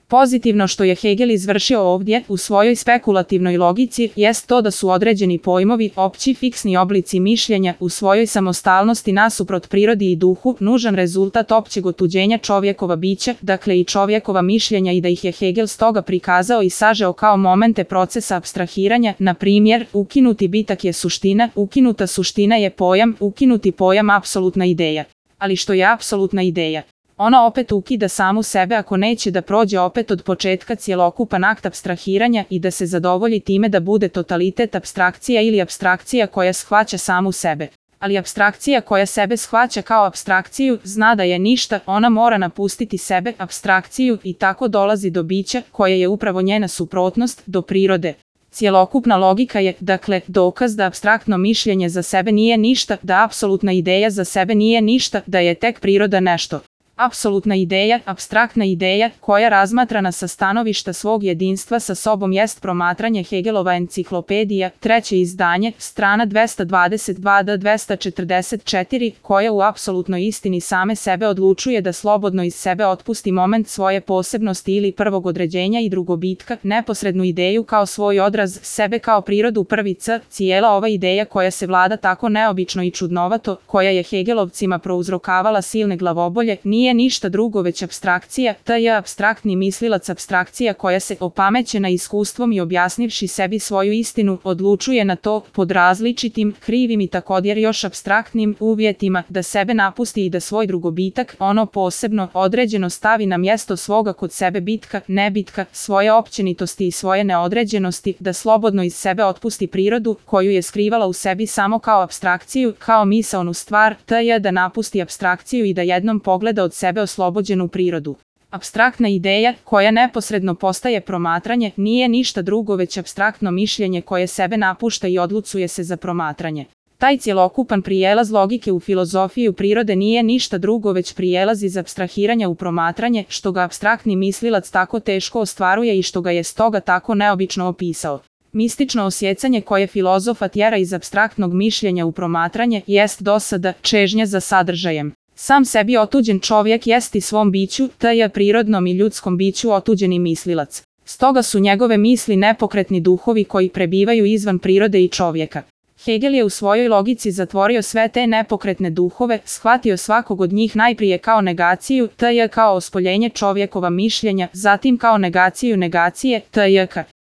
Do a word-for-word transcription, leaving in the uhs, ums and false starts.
Pozitivno što je Hegel izvršio ovdje u svojoj spekulativnoj logici jest to da su određeni pojmovi, opći fiksni oblici mišljenja u svojoj samostalnosti nasuprot prirodi i duhu nužan rezultat općeg otuđenja čovjekova bića, dakle i čovjekova mišljenja, i da ih je Hegel stoga prikazao i sažeo kao momente procesa apstrahiranja. Na primjer, ukinuti bitak je suština, ukinuta suština je pojam, ukinuti pojam apsolutna ideja. Ali što je apsolutna ideja? Ona opet ukida samu sebe ako neće da prođe opet od početka cjelokupan akt apstrahiranja i da se zadovolji time da bude totalitet apstrakcija ili apstrakcija koja shvaća samu sebe. Ali apstrakcija koja sebe shvaća kao apstrakciju zna da je ništa, ona mora napustiti sebe, apstrakciju, i tako dolazi do bića koje je upravo njena suprotnost, do prirode. Cjelokupna logika je, dakle, dokaz da apstraktno mišljenje za sebe nije ništa, da apsolutna ideja za sebe nije ništa, da je tek priroda nešto. Apsolutna ideja, apstraktna ideja, koja razmatrana sa stanovišta svog jedinstva sa sobom jest promatranje Hegelova enciklopedija, treće izdanje, strana dvesta dvadeset dva do dvesta četrdeset četiri, koja u apsolutnoj istini same sebe odlučuje da slobodno iz sebe otpusti moment svoje posebnosti ili prvog određenja i drugobitka, neposrednu ideju kao svoj odraz, sebe kao prirodu prvi c. Cijela ova ideja koja se vlada tako neobično i čudnovato, koja je Hegelovcima prouzrokavala silne glavobolje, nije Nije ništa drugo već apstrakcija, taj je apstraktni mislilac apstrakcija koja se, opamećena iskustvom i objasnivši sebi svoju istinu, odlučuje na to, pod različitim, krivim i također još apstraktnim uvjetima, da sebe napusti i da svoj drugobitak, ono posebno, određeno stavi na mjesto svoga kod sebe bitka, nebitka, svoje općenitosti i svoje neodređenosti, da slobodno iz sebe otpusti prirodu, koju je skrivala u sebi samo kao apstrakciju, kao misaonu stvar, taj je da napusti apstrakciju i da jednom pogleda od sebe oslobođenu prirodu. Apstraktna ideja, koja neposredno postaje promatranje, nije ništa drugo već apstraktno mišljenje koje sebe napušta i odlucuje se za promatranje. Taj cjelokupan prijelaz logike u filozofiju prirode nije ništa drugo već prijelaz iz apstrahiranja u promatranje, što ga apstraktni mislilac tako teško ostvaruje i što ga je stoga tako neobično opisao. Mistično osjecanje koje filozofa tjera iz apstraktnog mišljenja u promatranje jest dosada, čežnja za sadržajem. Sam sebi otuđen čovjek jest i svom biću, taj je prirodnom i ljudskom biću otuđeni mislilac. Stoga su njegove misli nepokretni duhovi koji prebivaju izvan prirode i čovjeka. Hegel je u svojoj logici zatvorio sve te nepokretne duhove, shvatio svakog od njih najprije kao negaciju, taj je kao ospoljenje čovjekova mišljenja, zatim kao negaciju negacije, taj je